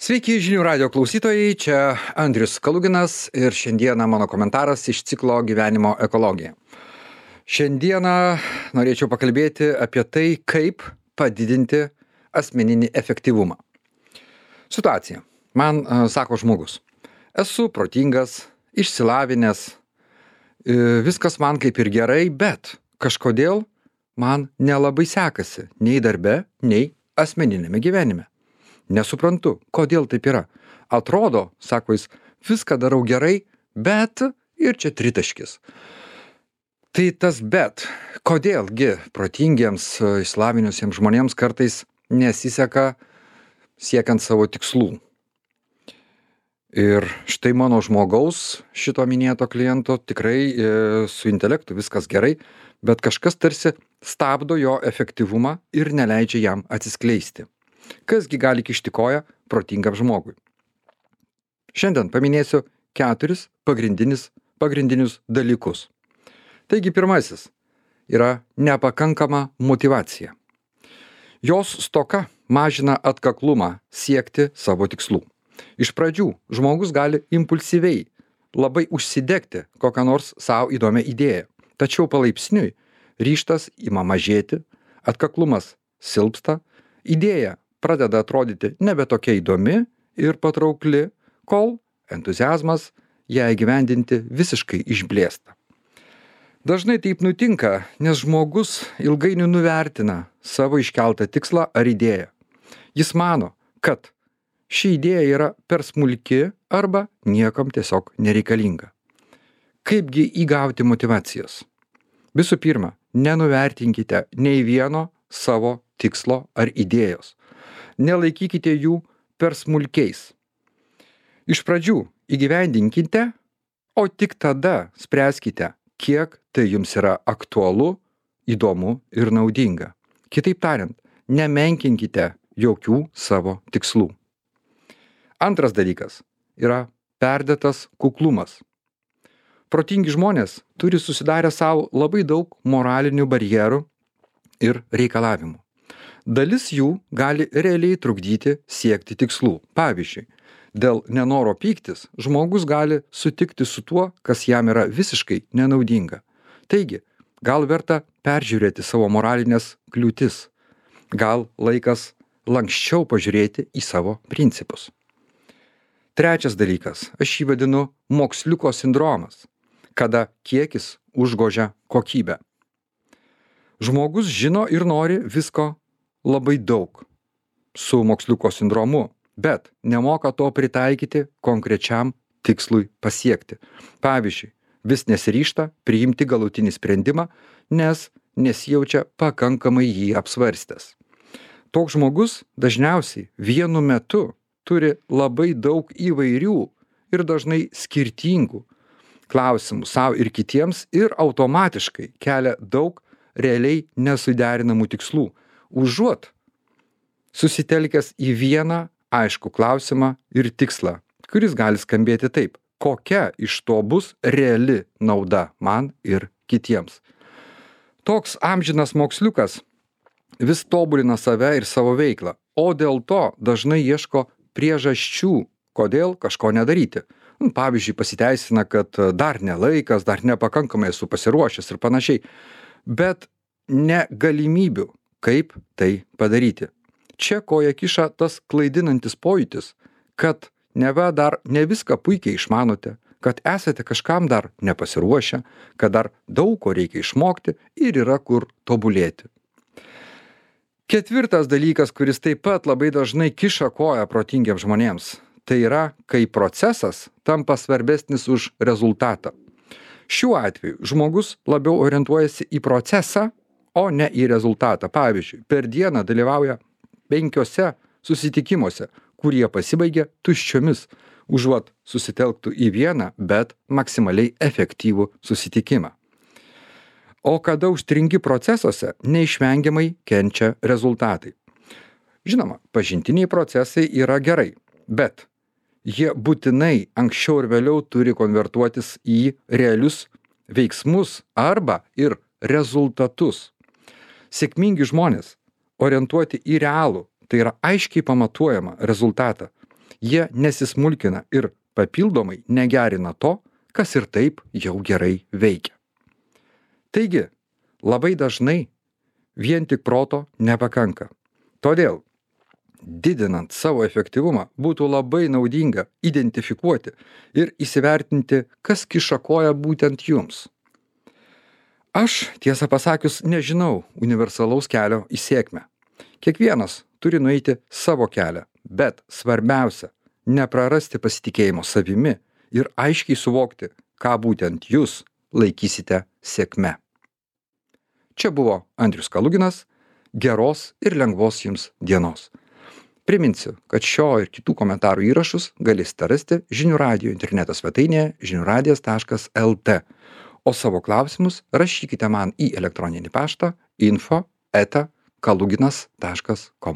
Sveiki žinių radio klausytojai, čia Andrius Kaluginas ir šiandieną mano komentaras iš ciklo Gyvenimo ekologija. Šiandieną norėčiau pakalbėti apie tai, kaip padidinti asmeninį efektyvumą. Situacija. Man sako žmogus, esu protingas, išsilavinęs, viskas man kaip ir gerai, bet kažkodėl man nelabai sekasi nei darbe, nei asmeninėme gyvenime. Nesuprantu, kodėl taip yra. Atrodo, sako jis, viską darau gerai, bet ir čia tritaškis. Tai tas bet, kodėlgi protingiems, išsilavinusiems žmonėms kartais nesiseka siekiant savo tikslų. Ir štai mano žmogaus, šito minėto kliento, tikrai su intelektu viskas gerai, bet kažkas tarsi stabdo jo efektyvumą ir neleidžia jam atsiskleisti. Kasgi gali kišti koją protingam žmogui? Šiandien paminėsiu 4 pagrindinius dalykus. Taigi pirmasis yra nepakankama motyvacija. Jos stoka mažina atkaklumą siekti savo tikslų. Iš pradžių žmogus gali impulsyviai labai užsidegti kokią nors savo įdomią idėją, tačiau palaipsniui ryžtas ima mažėti, atkaklumas silpsta, idėja pradeda atrodyti nebe tokia įdomi ir patraukli, kol entuziazmas ją įgyvendinti visiškai išblėsta. Dažnai taip nutinka, nes žmogus ilgainiui nuvertina savo iškeltą tikslą ar idėją. Jis mano, kad ši idėja yra per smulki arba niekam tiesiog nereikalinga. Kaipgi įgauti motyvacijos? Visų pirma, nenuvertinkite nei vieno savo tikslo ar idėjos. Nelaikykite jų per smulkiais. Iš pradžių įgyvendinkite, o tik tada spręskite, kiek tai jums yra aktualu, įdomu ir naudinga. Kitaip tariant, nemenkinkite jokių savo tikslų. Antras dalykas yra perdėtas kuklumas. Protingi žmonės turi susidarę savo labai daug moralinių barjerų ir reikalavimų. Dalis jų gali realiai trukdyti siekti tikslų. Pavyzdžiui, dėl nenoro pyktis žmogus gali sutikti su tuo, kas jam yra visiškai nenaudinga. Taigi, gal verta peržiūrėti savo moralinės kliūtis. Gal laikas lanksčiau pažiūrėti į savo principus. Trečias dalykas, aš jį vadinu moksliuko sindromas, kada kiekis užgožia kokybę. Žmogus žino ir nori visko labai daug su moksliuko sindromu, bet nemoka to pritaikyti konkrečiam tikslui pasiekti. Pavyzdžiui, vis nesiryžta priimti galutinį sprendimą, nes nesijaučia pakankamai jį apsvarstęs. Toks žmogus dažniausiai vienu metu turi labai daug įvairių ir dažnai skirtingų klausimų savo ir kitiems ir automatiškai kelia daug realiai nesuderinamų tikslų, užuot susitelkęs į vieną aiškų klausimą ir tikslą, kuris gali skambėti taip, kokia iš to bus reali nauda man ir kitiems. Toks amžinas moksliukas vis tobulina save ir savo veiklą, o dėl to dažnai ieško priežasčių, kodėl kažko nedaryti. Pavyzdžiui, pasiteisina, kad dar ne laikas, dar nepakankamai esu pasiruošęs ir panašiai, bet ne galimybių, kaip tai padaryti. Čia koja kiša tas klaidinantis pojūtis, kad neva dar ne viską puikiai išmanote, kad esate kažkam dar nepasiruošę, kad dar daug ko reikia išmokti ir yra kur tobulėti. Ketvirtas dalykas, kuris taip pat labai dažnai kiša koją protingiems žmonėms, tai yra, kai procesas tampa svarbesnis už rezultatą. Šiuo atveju žmogus labiau orientuojasi į procesą, o ne į rezultatą. Pavyzdžiui, per dieną dalyvauja 5 susitikimuose, kurie pasibaigia tuščiomis, užuot susitelktų į vieną, bet maksimaliai efektyvų susitikimą. O kada užstringi procesuose, neišvengiamai kenčia rezultatai. Žinoma, pažintiniai procesai yra gerai, bet jie būtinai anksčiau ir vėliau turi konvertuotis į realius veiksmus arba ir rezultatus. Sėkmingi žmonės orientuoti į realų, tai yra aiškiai pamatuojamą rezultatą. Jie nesismulkina ir papildomai negerina to, kas ir taip jau gerai veikia. Taigi, labai dažnai vien tik proto nepakanka. Todėl, didinant savo efektyvumą, būtų labai naudinga identifikuoti ir įsivertinti, kas kiša koją būtent jums. Aš, tiesą pasakius, nežinau universalaus kelio į sėkmę. Kiekvienas turi nueiti savo kelią, bet svarbiausia – neprarasti pasitikėjimo savimi ir aiškiai suvokti, ką būtent jūs laikysite sėkme. Čia buvo Andrius Kaluginas. Geros ir lengvos jums dienos. Priminsiu, kad šio ir kitų komentarų įrašus galėsite rasti Žinių radijo interneto svetainėje žiniųradijas.lt, o savo klausimus rašykite man į elektroninį paštą info@kaluginas.com.